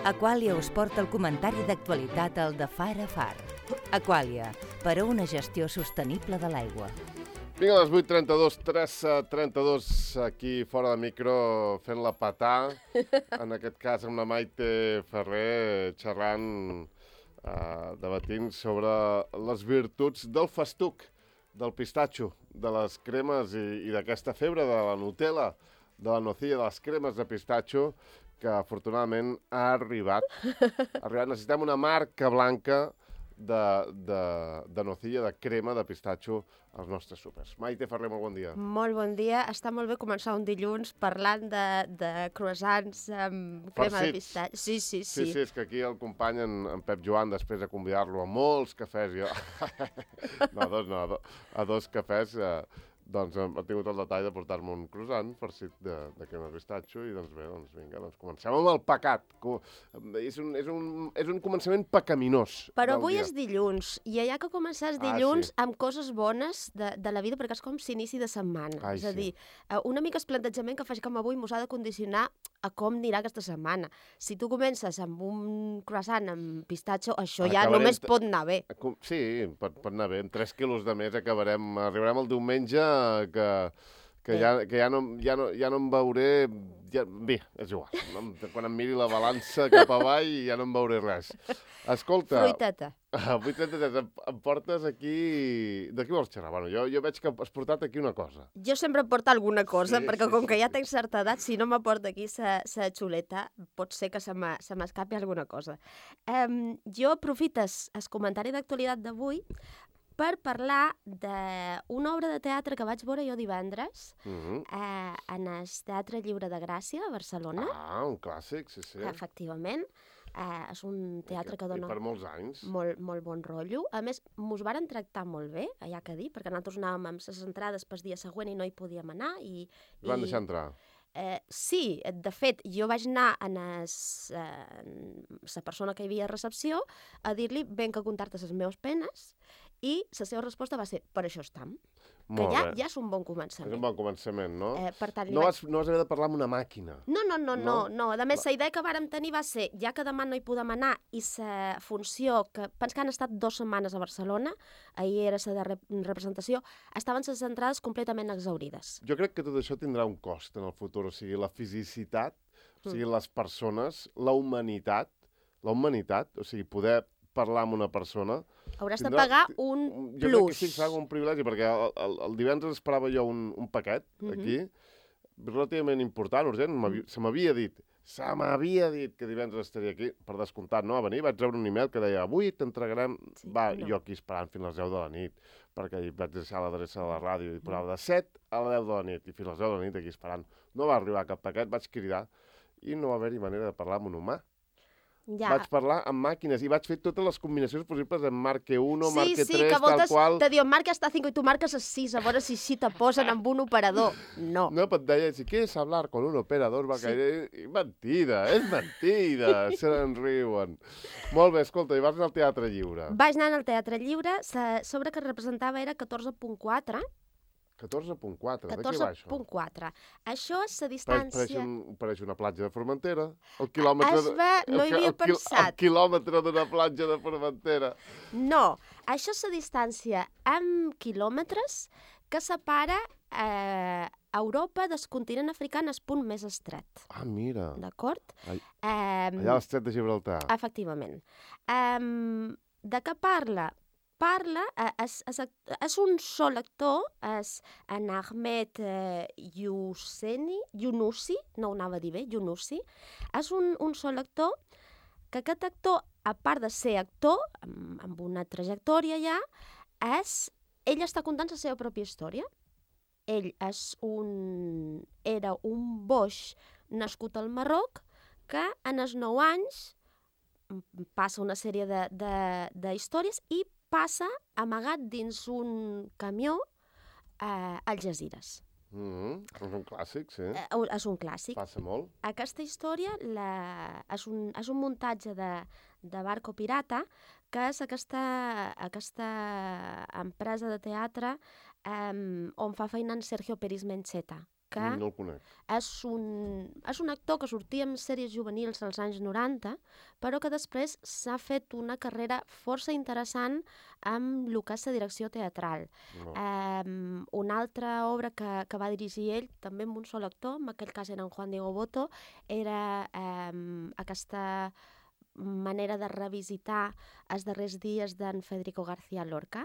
Aquàlia us porta el comentari d'actualitat al de Far a Far. Aquàlia, per a una gestió sostenible de l'aigua. Vinga, a les 8:32, 3:32, aquí fora de micro, fent la patà, en aquest cas amb la Maite Ferrer, xerrant, debatint sobre les virtuts del festuc, del pistatxo, de les cremes i d'aquesta febre de la Nutella, de la nocilla, de les cremes de pistatxo, que afortunadament ha arribat. Necessitem una marca blanca de nocilla, de crema de pistatxo als nostres súpers. Maite Ferrer, molt bon dia. Molt bon dia. Està molt bé començar un dilluns parlant de croissants amb crema de pistatxo. Sí. Sí, és que aquí el company, en Pep Joan, després de convidar-lo a molts cafès, a dos cafès, doncs ha tingut el detall de portar-me un croissant farcit de crema de pistatxo i doncs bé, vinga, comencem amb el pecat. És un començament pecaminós. Però avui és dilluns i allà que començàs dilluns amb coses bones de la vida, perquè és com s'inici de setmana. És a dir, una mica el plantejament que faig com avui mos ha de condicionar a com anirà aquesta setmana. Si tu comences amb un croissant amb pistatxo, això ja només pot anar bé. Sí, pot anar bé. Amb 3 quilos de més arribarem el diumenge que ja no em veuré... Bé, és igual. Quan em miri la balança cap avall ja no em veuré res. Escolta... Fruiteta. Avui em portes aquí... De què vols xerrar? Bueno, jo veig que has portat aquí una cosa. Jo sempre porto alguna cosa, perquè com que ja tenc certa edat, si no m'aporta aquí sa xuleta, pot ser que se m'escapi alguna cosa. Jo aprofito el comentari d'actualitat d'avui per parlar d'una obra de teatre que vaig veure jo divendres en el Teatre Lliure de Gràcia, a Barcelona. Ah, un clàssic, sí. Efectivament. És un teatre que dona... I per molts anys. Molt bon rotllo. A més, mos varen tractar molt bé, ja que dir, perquè nosaltres anàvem amb les entrades pel dia següent i no hi podíem anar. Van deixar entrar? Sí, de fet, jo vaig anar a la persona que hi havia a recepció a dir-li ben que contar-te les meves penes i la seva resposta va ser, per això estam. Que ja és un bon començament. És un bon començament, no? Per tant, no vas haver de parlar amb una màquina. No. A més, la idea que vàrem tenir va ser, ja que demà no hi podem anar, i la funció, que pens que han estat 2 setmanes a Barcelona, ahir era la representació, estaven les entrades completament exhaurides. Jo crec que tot això tindrà un cost en el futur, o sigui, la fisicitat, o sigui, les persones, la humanitat, o sigui, poder parlar amb una persona... Hauràs de pagar un plus. Jo crec que sí, serà un privilegi, perquè el divendres esperava jo un paquet aquí, relativament important, urgent, se m'havia dit que divendres estaria aquí, per descomptat, no? A venir, vaig rebre un email que deia, avui t'entregarem... Jo aquí esperant fins a les 10 de la nit, perquè hi vaig deixar l'adreça de la ràdio i posava de 7 a les 10 de la nit, i fins a les 10 de la nit aquí esperant. No va arribar cap paquet, vaig cridar, i no va haver-hi manera de parlar amb un humà. Vaig parlar amb màquines i vaig fer totes les combinacions possibles en Marque 1, Marque 3, que tal qual. Te diuen, marca hasta 5 i tu marques el 6, a veure si te posen amb un operador. No. No, però et deia, si quieres hablar con un operador, va caer... Mentida, és mentida, se n'enriuen. Molt bé, escolta, i vas anar al Teatre Lliure. Vaig anar al Teatre Lliure, sobre que representava era 14.4. 14.4, de què va això? 14.4. Això és la distància... Pareix una platja de Formentera. No hi havia pensat. El quilòmetre d'una platja de Formentera. No, això és la distància en quilòmetres que separa Europa del continent africà en el punt més estret. Ah, mira. D'acord? Allà a l'estret de Gibraltar. Efectivament. De què parla? És un sol actor, és en Ahmed Younousi, no ho anava a dir bé, Younousi, és un sol actor, que aquest actor, a part de ser actor, amb una trajectòria ja, ell està contant la seva pròpia història. Ell era un boix nascut al Marroc, que en els 9 anys passa una sèrie d'històries i passa amagat dins un camió a Algesires. És un clàssic, sí. És un clàssic. Passa molt. Aquesta història és un muntatge de Barco Pirata, que és aquesta empresa de teatre on fa feina en Sergio Peris Mencheta. que No el conec. és un actor que sortia en sèries juvenils als anys 90, però que després s'ha fet una carrera força interessant amb el que és la direcció teatral. No. Una altra obra que va dirigir ell, també amb un sol actor, en aquell cas era en Juan Diego Botto, era aquesta manera de revisitar els darrers dies d'en Federico García Lorca.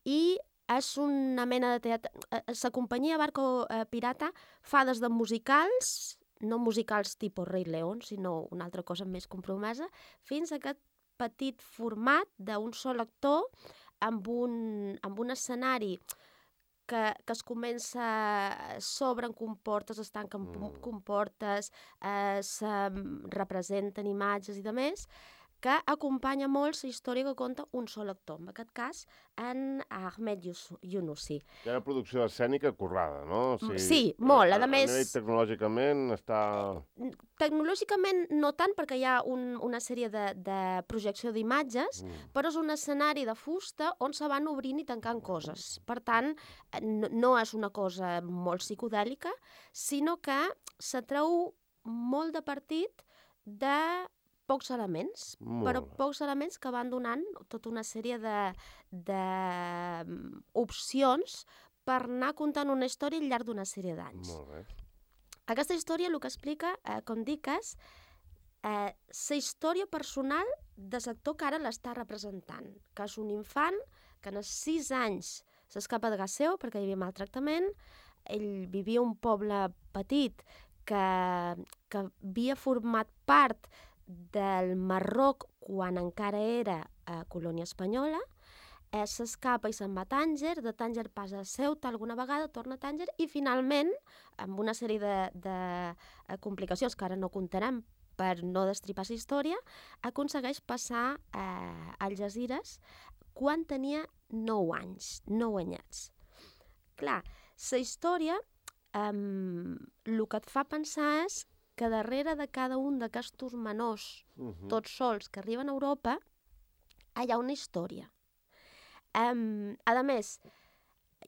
I és una mena de teatre... La companyia Barco Pirata fa des de musicals, no musicals tipus Rei León, sinó una altra cosa més compromesa, fins a aquest petit format d'un sol actor amb un escenari que es comença, s'obren comportes, es tanquen comportes, se representen imatges i demés, que acompanya molt la història que conta un sol actor, en aquest cas, en Ahmed Yunusi. Hi ha una producció escènica currada, no? O sigui, Sí, molt. A més, nivell tecnològicament està... Tecnològicament no tant, perquè hi ha una sèrie de projecció d'imatges, però és un escenari de fusta on se van obrint i tancant coses. Per tant, no és una cosa molt psicodèlica, sinó que se treu molt de partit de pocs elements, però pocs elements que van donant tota una sèrie d'opcions per anar contant una història al llarg d'una sèrie d'anys. Molt bé. Aquesta història el que explica, com dic, és la història personal de l'actor que ara l'està representant, que és un infant que als 6 anys s'escapa de casa seu perquè hi havia maltractament. Ell vivia a un poble petit que havia format part del Marroc quan encara era colònia espanyola. S'escapa i se'n va a Tànger, de Tànger passa a Ceuta alguna vegada, torna a Tànger i finalment, amb una sèrie de complicacions que ara no contarem per no destripar la història, aconsegueix passar a Algesires quan tenia 9 anys, 9 anyets. Clar, la història el que et fa pensar és que darrere de cada un d'aquests menors, tots sols, que arriben a Europa, hi ha una història. A més,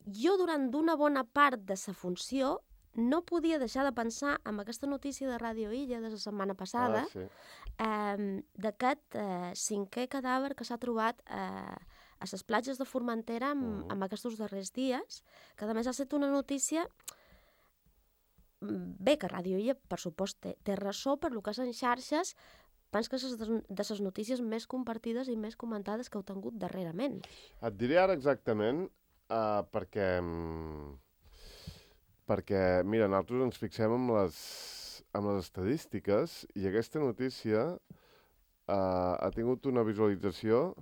jo durant una bona part de la funció no podia deixar de pensar en aquesta notícia de Ràdio Illa de la setmana passada, d'aquest 5è cadàver que s'ha trobat a les platges de Formentera en aquests darrers dies, que a més ha estat una notícia... Bé, que Ràdio Illa, per supost, té ressò per lo que és en xarxes, penso que és de les notícies més compartides i més comentades que heu tingut darrerament. Et diré ara exactament, perquè, mira, nosaltres ens fixem amb les estadístiques i aquesta notícia ha tingut una visualització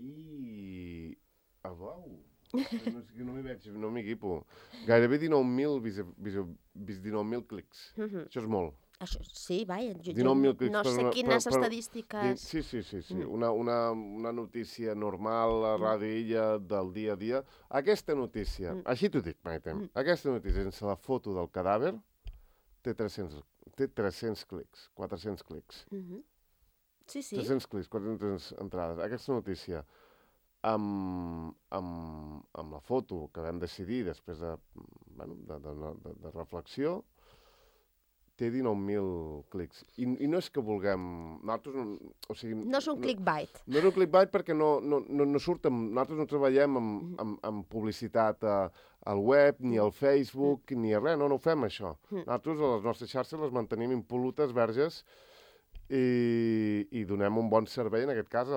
i... Uau! No m'hi veig, no m'hi equipo. Gairebé 19.000 clics. Això és molt. Això, sí, vaja, no sé quines estadístiques... Sí. Una notícia normal a Ràdio Illa del dia a dia. Aquesta notícia, així t'ho dic, Maite, aquesta notícia sense la foto del cadàver té 300 clics, 400 clics. Sí. 300 clics, 400 entrades. Aquesta notícia amb la foto que vam decidir després de reflexió, té 19.000 clics. I no és que vulguem... No és un clickbait. No és un clickbait perquè no surt... Nosaltres no treballem amb publicitat al web, ni al Facebook, ni a res. No ho fem, això. Nosaltres, a les nostres xarxes, les mantenim impol·lutes, verges, i donem un bon servei, en aquest cas, a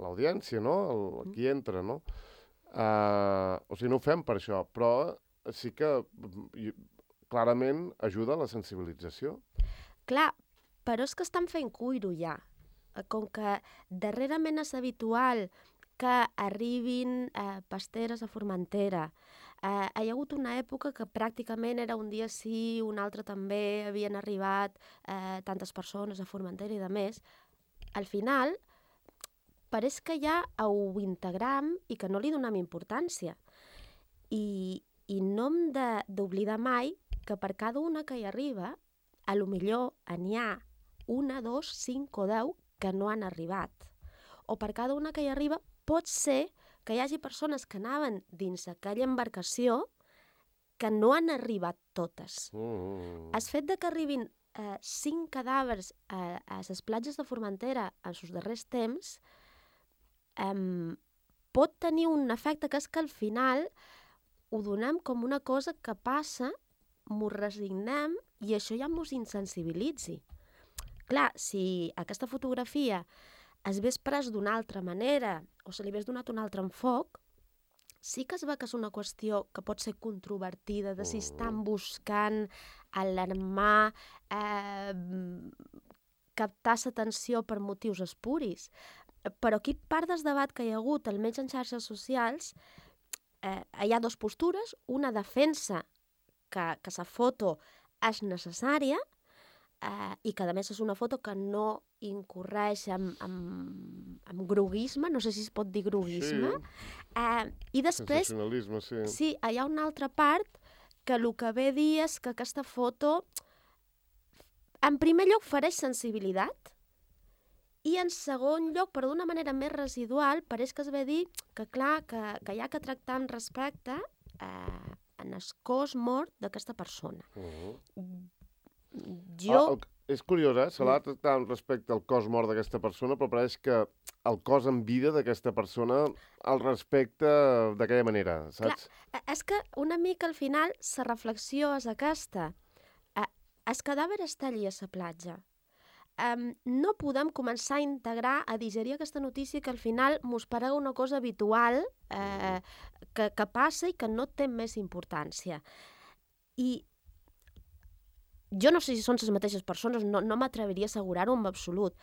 l'audiència, no? A qui entra, no? No ho fem per això, però sí que clarament ajuda a la sensibilització. Clar, però és que estan fent cuiro ja. Com que darrerament és habitual que arribin pasteres a Formentera. Hi ha hagut una època que pràcticament era un dia sí, un altre també, havien arribat tantes persones a Formentera i de més. Al final, pareix que ja ho integram i que no li donem importància. I no hem d'oblidar mai que per cada una que hi arriba, a lo millor n'hi ha 1, 2, 5 o 10 que no han arribat. O per cada una que hi arriba pot ser que hi hagi persones que anaven dins aquella embarcació que no han arribat totes. El fet de que arribin 5 cadàvers a les platges de Formentera en els darrers temps pot tenir un efecte que és que al final ho donem com una cosa que passa, m'ho resignem i això ja mos insensibilitzi. Clar, si aquesta fotografia es hagués pres d'una altra manera o se li hagués donat un altre enfoc, sí que es veu que és una qüestió que pot ser controvertida, de si estan buscant alarmar, captar l'atenció per motius espuris. Però aquí part del debat que hi ha hagut, almenys en xarxes socials, hi ha dues postures. Una defensa que la foto és necessària i que a més és una foto que no incorreix en groguisme, no sé si es pot dir groguisme. I després sensacionalisme, sí. Sí, hi ha una altra part que el que ve a dir és que aquesta foto en primer lloc ofereix sensibilitat i en segon lloc, però d'una manera més residual, pareix que es ve a dir que clar, que hi ha que tractar amb respecte en el cos mort d'aquesta persona. És curiós, se l'ha de tractar amb respecte al cos mort d'aquesta persona, però pareix que el cos en vida d'aquesta persona el respecta d'aquella manera, saps? Clar, és que una mica al final la reflexió és aquesta. El cadàver està allí a la platja. No podem començar a integrar, a digerir aquesta notícia que al final mos parega una cosa habitual que passa i que no té més importància. I jo no sé si són les mateixes persones, no m'atreviria a assegurar-ho en absolut,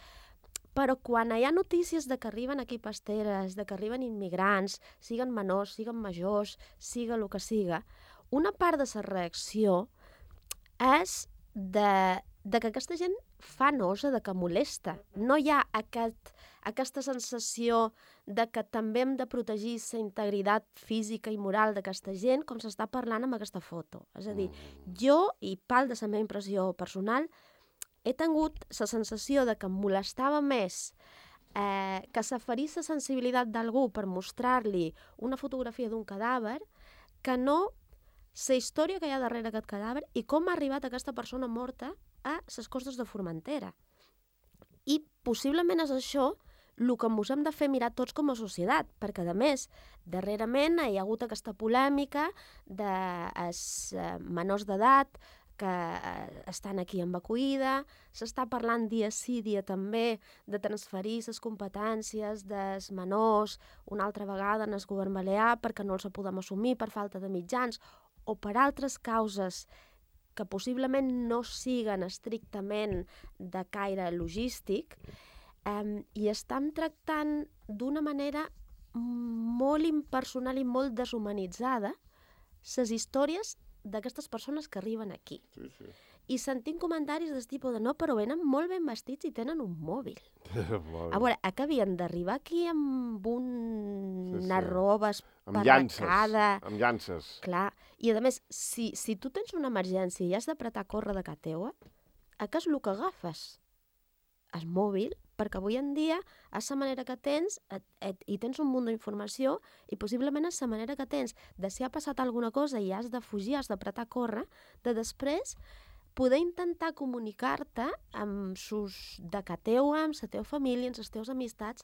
però quan hi ha notícies de que arriben aquí pasteres, de que arriben immigrants, siguen menors, siguen majors, siga el que siga, una part de la reacció és de que aquesta gent fa nosa, de que molesta. No hi ha aquesta sensació de que també hem de protegir la integritat física i moral d'aquesta gent com s'està parlant amb aquesta foto. És a dir, jo, i part de la meva impressió personal, he tingut la sensació de que em molestava més que s'aferís la sensibilitat d'algú per mostrar-li una fotografia d'un cadàver que no la història que hi ha darrere aquest cadàver i com ha arribat aquesta persona morta a les costes de Formentera. I possiblement és això el que ens hem de fer mirar tots com a societat, perquè a més, darrerament hi ha hagut aquesta polèmica dels menors d'edat que estan aquí amb acollida, s'està parlant dia sí, dia també, de transferir les competències dels menors una altra vegada en el govern balear perquè no els podem assumir per falta de mitjans o per altres causes que possiblement no siguen estrictament de caire logístic, i estem tractant d'una manera molt impersonal i molt deshumanitzada les històries d'aquestes persones que arriben aquí. Sí, sí. I sentim comentaris del tipus de no, però venen molt ben vestits i tenen un mòbil. A veure, que havien d'arribar aquí amb una roba esparracada. Amb llances. Clar, i a més, si tu tens una emergència i has d'apretar a córrer de casa teua, què és el que agafes? El mòbil, perquè avui en dia és la manera que tens i tens un munt d'informació i possiblement és la manera que tens de si ha passat alguna cosa i has de fugir, has d'apretar a córrer, de després poder intentar comunicar-te amb de casa teua, amb la teva família, amb les teves amistats,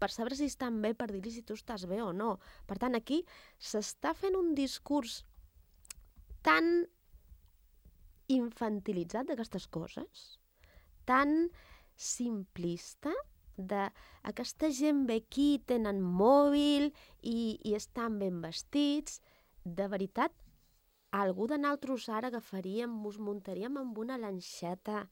per saber si estan bé, per dir-li si tu estàs bé o no. Per tant, aquí s'està fent un discurs tan infantilitzat d'aquestes coses, tan simplista, d'aquesta gent ve aquí, tenen mòbil i estan ben vestits. De veritat, algú de nosaltres ara agafaríem, ens muntaríem amb una lanxeta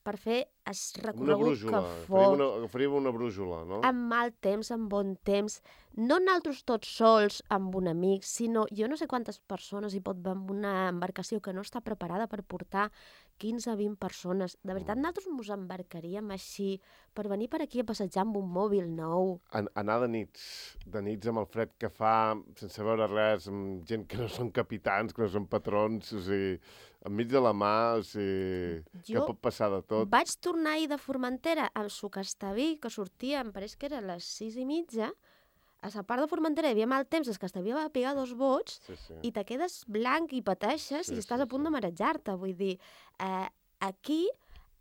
per fer el recorregut que fos. Agafaríem una brújula, no? Amb mal temps, amb bon temps. No nosaltres tots sols amb un amic, sinó jo no sé quantes persones hi pot haver amb una embarcació que no està preparada per portar 15-20 persones. De veritat, nosaltres ens embarcaríem així per venir per aquí a passejar amb un mòbil nou. Anar de nits amb el fred que fa, sense veure res, amb gent que no són capitans, que no són patrons, o sigui, enmig de la mà, o sigui, que pot passar de tot. Vaig tornar ahir de Formentera amb Sucastaví, que sortia, em pareix que era a les 6:30, a la part de Formentera hi havia mal temps, és que t'havia de pegar 2 bots i te quedes blanc i pateixes i estàs a punt de marejar-te. Vull dir, aquí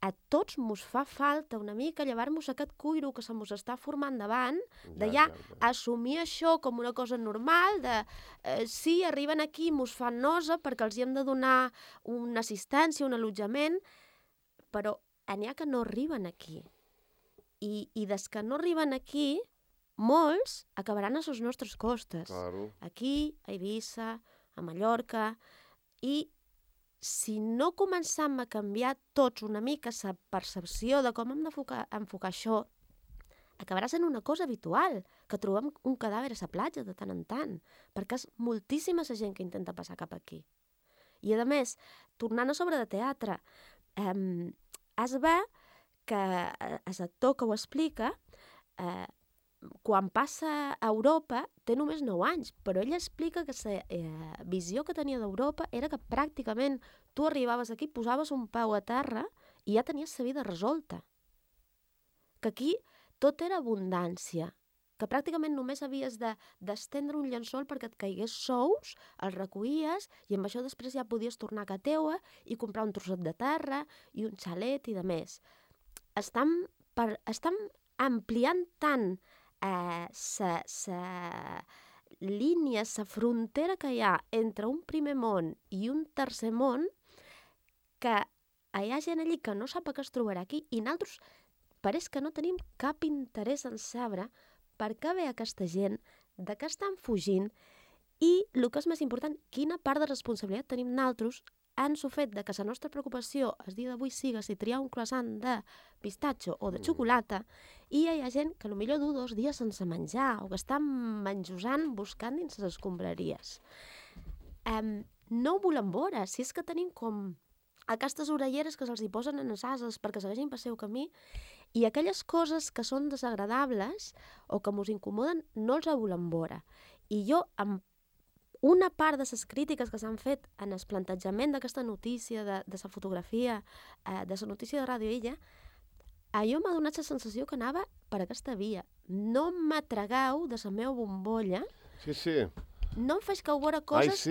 a tots mos fa falta una mica llevar-nos aquest cuiro que se mos està formant davant, de ja assumir això com una cosa normal, de sí, arriben aquí, mos fan nosa perquè els hi hem de donar una assistència, un allotjament, però n'hi ha que no arriben aquí. I des que no arriben aquí, molts acabaran a les nostres costes. Claro. Aquí, a Eivissa, a Mallorca, i si no començam a canviar tots una mica la percepció de com hem d'enfocar això, acabarà sent una cosa habitual, que trobem un cadàver a la platja de tant en tant, perquè és moltíssima la gent que intenta passar cap aquí. I, a més, tornant a sobre de teatre, es ve que l'actor que ho explica, quan passa a Europa, té només 9 anys, però ell explica que la visió que tenia d'Europa era que pràcticament tu arribaves aquí, posaves un peu a terra i ja tenies la vida resolta. Que aquí tot era abundància, que pràcticament només havies d'estendre un llençol perquè et caigués sous, el recollies i amb això després ja podies tornar a casa teua i comprar un trosset de terra i un xalet i de més. Estam ampliant tant la línia, la frontera que hi ha entre un primer món i un tercer món, que hi ha gent allí que no sap què es trobarà aquí i nosaltres pareix que no tenim cap interès en saber per què ve aquesta gent, de què estan fugint i, el que és més important, quina part de responsabilitat tenim nosaltres en el fet de que la nostra preocupació el dia d'avui siga si triar un croissant de pistatxo o de xocolata i hi ha gent que potser du 2 dies sense menjar o que està menjosant buscant dins les escombraries. No ho volem veure, si és que tenim com aquestes orelleres que se'ls hi posen en les ases perquè segueixin pel seu camí i aquelles coses que són desagradables o que ens incomoden no els volem veure. I jo, amb una part de les crítiques que s'han fet en el plantejament d'aquesta notícia, de la fotografia, de la notícia de Ràdio Illa, allò m'ha donat la sensació que anava per aquesta via. No m'atragueu de la meva bombolla. Sí. No em feu veure coses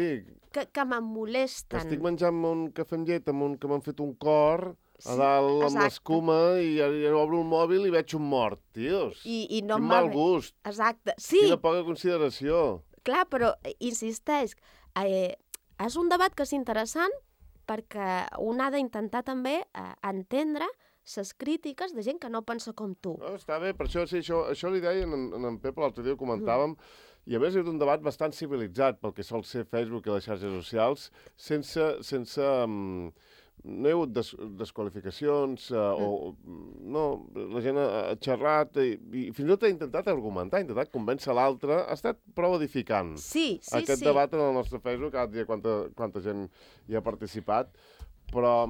que me molesten. Estic menjant un cafè amb llet que m'han fet un cor a dalt amb l'escuma i obro el mòbil i veig un mort, tios. I no quin mal gust. Exacte, sí. Quina poca consideració. Clar, però insisteix, és un debat que és interessant perquè un ha d'intentar també entendre les crítiques de gent que no pensa com tu. No, està bé, per això, sí, això li deia en Pep l'altre dia, ho comentàvem, i a més és un debat bastant civilitzat pel que sol ser Facebook i les xarxes socials, sense no hi ha hagut desqualificacions, no, la gent ha xerrat i fins i tot ha intentat argumentar, ha intentat convèncer l'altre, ha estat prou edificant. Sí. Aquest debat en el nostre Facebook, cada dia quanta gent hi ha participat, però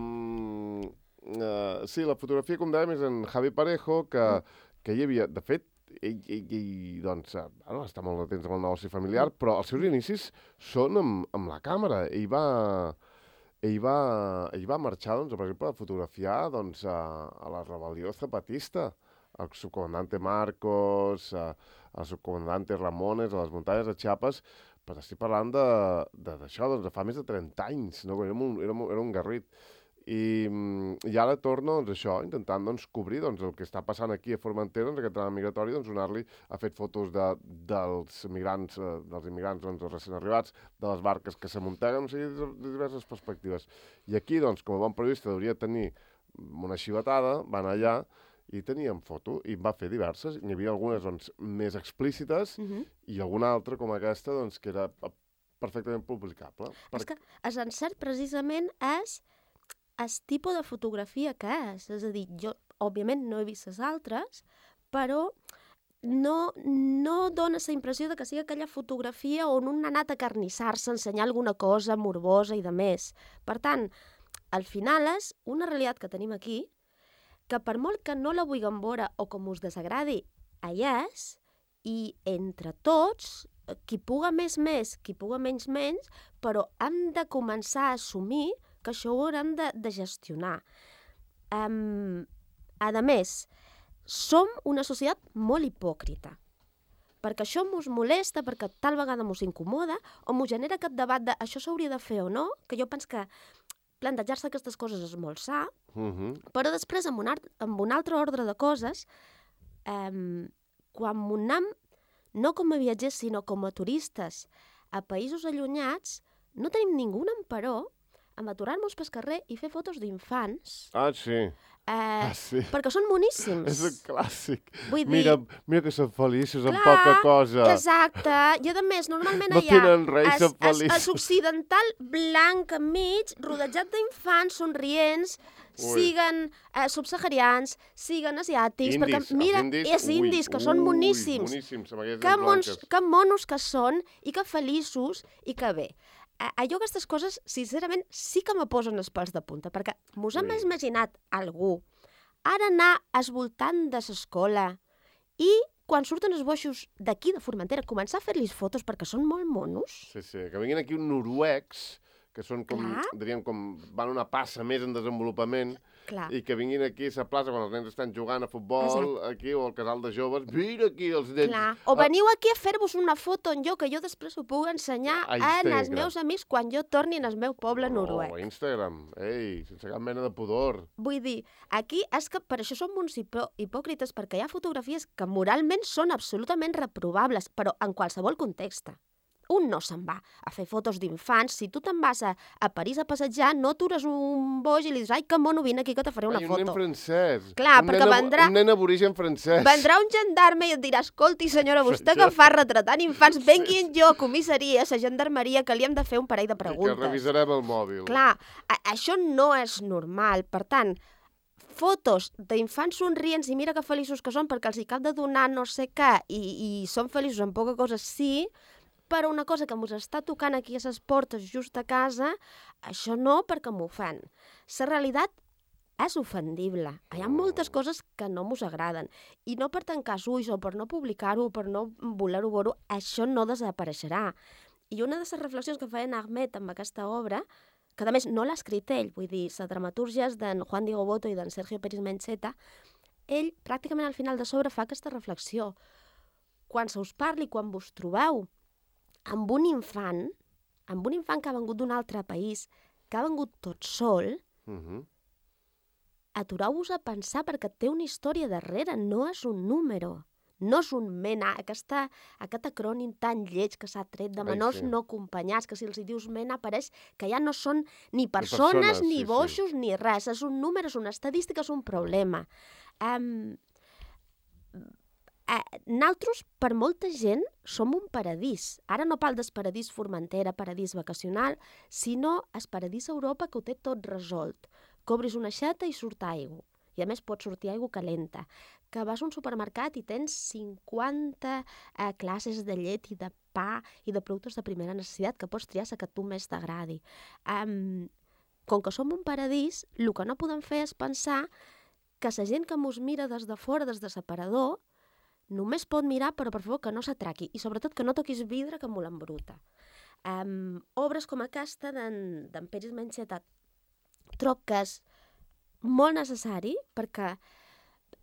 sí, la fotografia, com dèiem, és en Javi Parejo, que hi havia, de fet, ell doncs, està molt atents amb el negoci familiar, però els seus inicis són amb la càmera. Ell va marxar, doncs, per exemple, a fotografiar doncs, a la rebel·lió zapatista, al subcomandante Marcos, al subcomandante Ramones, a les muntanyes de Chiapas, però estic parlant d'això, doncs, de fa més de 30 anys, no? Era un garrit. I ara torno, doncs, això, intentant doncs, cobrir doncs, el que està passant aquí a Formentera, doncs, aquest drama migratori, doncs, donar-li, ha fet fotos dels immigrants doncs, recent arribats, de les barques que s'amunteguen, o sigui, de diverses perspectives. I aquí, doncs, com a bon periodista, hauria de tenir una xivatada, va anar allà i teníem foto, i va fer diverses, n'hi havia algunes doncs, més explícites i alguna altra com aquesta doncs, que era perfectament publicable. És que l'encert precisament és el tipus de fotografia que és. És a dir, jo, òbviament, no he vist les altres, però no dona la impressió de que sigui aquella fotografia on un ha anat a carnissar-se, a ensenyar alguna cosa morbosa i de més. Per tant, al final és una realitat que tenim aquí, que per molt que no la vulguem veure o com us desagradi, allà és, i entre tots, qui puga més, qui puga menys, però hem de començar a assumir que això ho haurem de gestionar. A més, som una societat molt hipòcrita, perquè això mos molesta, perquè tal vegada mos incomoda, o mos genera aquest debat de això s'hauria de fer o no, que jo penso que plantejar-se aquestes coses és molt sa, però després, amb un altre ordre de coses, quan anem, no com a viatgers, sinó com a turistes, a països allunyats, no tenim ningú emperò amb aturar-nos pel carrer i fer fotos d'infants. Ah, sí. Sí. Perquè són moníssims. És un clàssic. Vull dir... Mira que són feliços amb poca cosa. Exacte. I a més, normalment no allà... tenen res, són feliços. És occidental blanc enmig, rodejat d'infants somrients, siguen subsaharians, siguen asiàtics... Indis, perquè, mira, els indis, que són moníssims. Que monos que són, i que feliços, i que bé. Jo aquestes coses, sincerament, sí que me posen els pèls de punta, perquè mos hem imaginat algú ara anar esvoltant de l'escola i quan surten els boixos d'aquí, de Formentera, començar a fer-los fotos perquè són molt monos. Sí, que vinguin aquí uns noruecs, que són com, diríem, com van una passa més en desenvolupament, i que vinguin aquí a la plaça quan els nens estan jugant a futbol, aquí, o al casal de joves, mira aquí els nens... O veniu aquí a fer-vos una foto en jo, que jo després ho puc ensenyar als meus amics quan jo torni al meu poble noruec. A Instagram, sense cap mena de pudor. Vull dir, aquí és que per això som uns hipòcrites, perquè hi ha fotografies que moralment són absolutament reprovables, però en qualsevol context. Un no se'n va a fer fotos d'infants. Si tu te'n vas a París a passejar, no atures un boix i li dius, ai, que mono, vine aquí que te faré una foto. Un nen francès. Clar, perquè vendrà... Un nen aborigen francès. Vendrà un gendarme i et dirà, escolti, senyora, vostè que fa retratant infants, venguin jo a comissaria, a la gendarmeria, que li hem de fer un parell de preguntes. I que revisarem el mòbil. Clar, això no és normal. Per tant, fotos d'infants somrients i mira que feliços que són perquè els hi cap de donar no sé què i són feliços amb poca cosa, sí, però una cosa que mos està tocant aquí a les portes just a casa, això no, perquè m'ho fan. La realitat és ofendible. Hi ha moltes coses que no mos agraden. I no per tancar els ulls o per no publicar-ho o per no voler-ho veure, això no desapareixerà. I una de les reflexions que feia Ahmed amb aquesta obra, que a més no l'ha escrit ell, vull dir, la dramatúrgia és d'en Juan Diego Boto i d'en Sergio Pérez Mencheta, ell pràcticament al final de l'obra fa aquesta reflexió. Quan se us parli, quan vos trobeu amb un infant que ha vengut d'un altre país, que ha vengut tot sol, atureu-vos a pensar perquè té una història darrere, no és un número, no és un MENA, aquest acrònim tan lleig que s'ha tret de menors no acompanyats, que si els hi dius MENA pareix que ja no són ni persones, ni boixos, ni res, és un número, és una estadística, és un problema. Nosaltres, per molta gent, som un paradís. Ara no parlo del paradís Formentera, paradís vacacional, sinó el paradís Europa que ho té tot resolt. Que obris una aixeta i surt aigua. I a més pot sortir aigua calenta. Que vas a un supermercat i tens 50 classes de llet i de pa i de productes de primera necessitat que pots triar la que a tu més t'agradi. Com que som un paradís, el que no podem fer és pensar que la gent que mos mira des de fora, des de l'aparador, només pot mirar, però per favor que no s'atraqui i sobretot que no toquis vidre que molt embruta. Obres com aquesta d'en Pérez Mencheta trob que és molt necessari perquè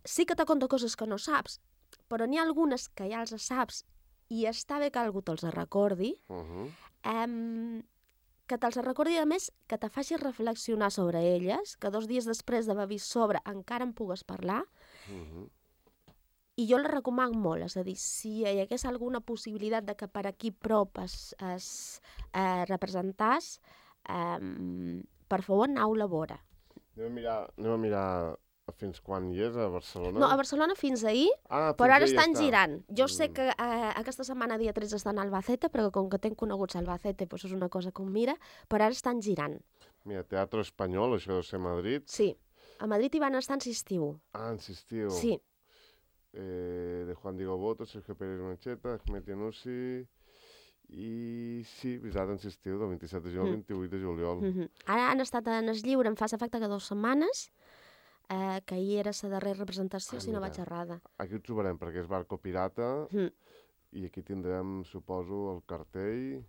sí que te conta coses que no saps, però n'hi ha algunes que ja els saps i està bé que algú te'ls recordi, que te'ls recordi a més que te faci reflexionar sobre elles, que 2 dies després d'haver vist sobre encara en pugues parlar. I jo la recomano molt, és a dir, si hi hagués alguna possibilitat de que per aquí prop es representàs, per favor, aneu-la a veure. Anem a mirar fins quan hi és, a Barcelona? No, a Barcelona fins ahir, però ara estan girant. Jo sé que aquesta setmana, dia 13, estan a Albacete, però com que tenc coneguts a Albacete, doncs és una cosa que ho mira, però ara estan girant. Mira, Teatre Espanyol, això deu ser a Madrid. Sí, a Madrid hi van estar en estiu. En estiu. Sí. De Juan Diego Boto, Sergio Pérez Mencheta, Ahmed Yanussi, i sí, visat en estiu, del 27 de juliol al 28 de juliol. Ara han estat en el lliure, em fa l'efecte que 2 setmanes, que ahir era la darrera representació, si no vaig errada. Aquí ho trobarem, perquè és Barco Pirata, i aquí tindrem, suposo, el cartell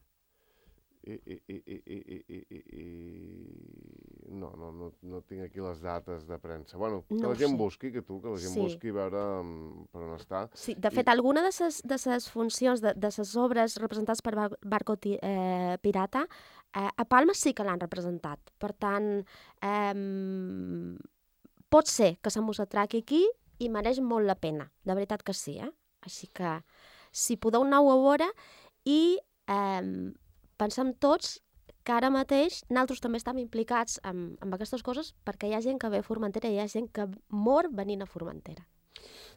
No tinc aquí les dates de premsa. Bueno, que No la ho gent sé. busqui, que la gent Sí. busqui a veure per on està. Sí, de fet, alguna de ses funcions, de ses obres representades per Barco Pirata, a Palma sí que l'han representat. Per tant, pot ser que se mos atraqui aquí i mereix molt la pena. De veritat que sí, eh? Així que, si podeu anar-ho a veure i pensem tots que ara mateix nosaltres també estem implicats amb aquestes coses perquè hi ha gent que ve a Formentera i hi ha gent que mor venint a Formentera.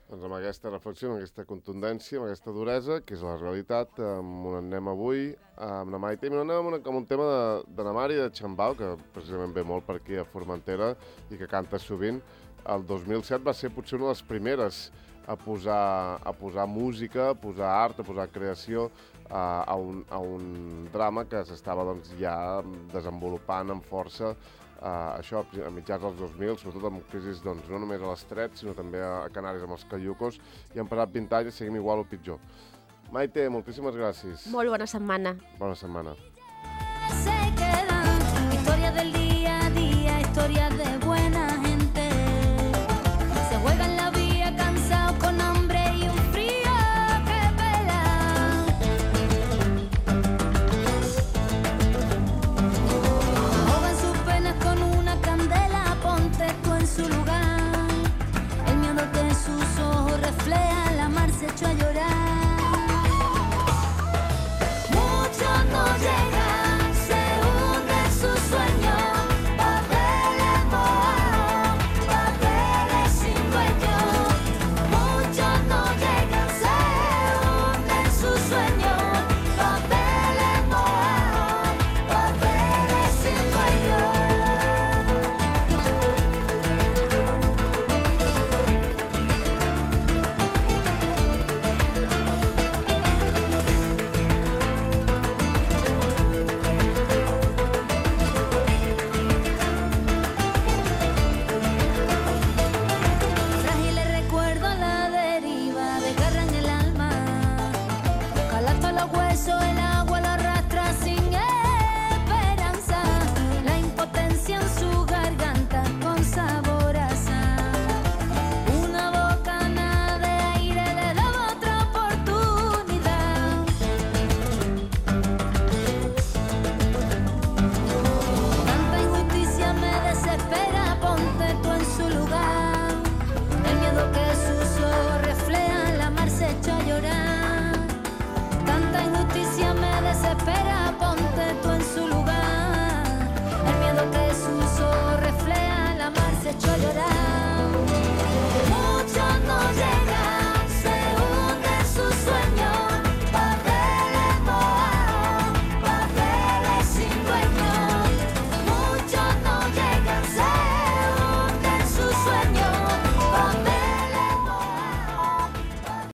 Doncs amb aquesta reflexió, amb aquesta contundència, amb aquesta duresa, que és la realitat, on anem avui, amb la Maite, i anem amb un tema de la Mari de Xambau, que precisament ve molt per aquí a Formentera i que canta sovint. El 2007 va ser potser una de les primeres a posar música, a posar art, a posar creació a un drama que s'estava doncs, ja desenvolupant amb força això a mitjans dels 2000, sobretot amb crisis doncs, no només a l'Estret, sinó també a Canàries amb els caiucos, i han passat 20 anys i seguim igual o pitjor. Maite, moltíssimes gràcies. Molt bona setmana. Bona setmana.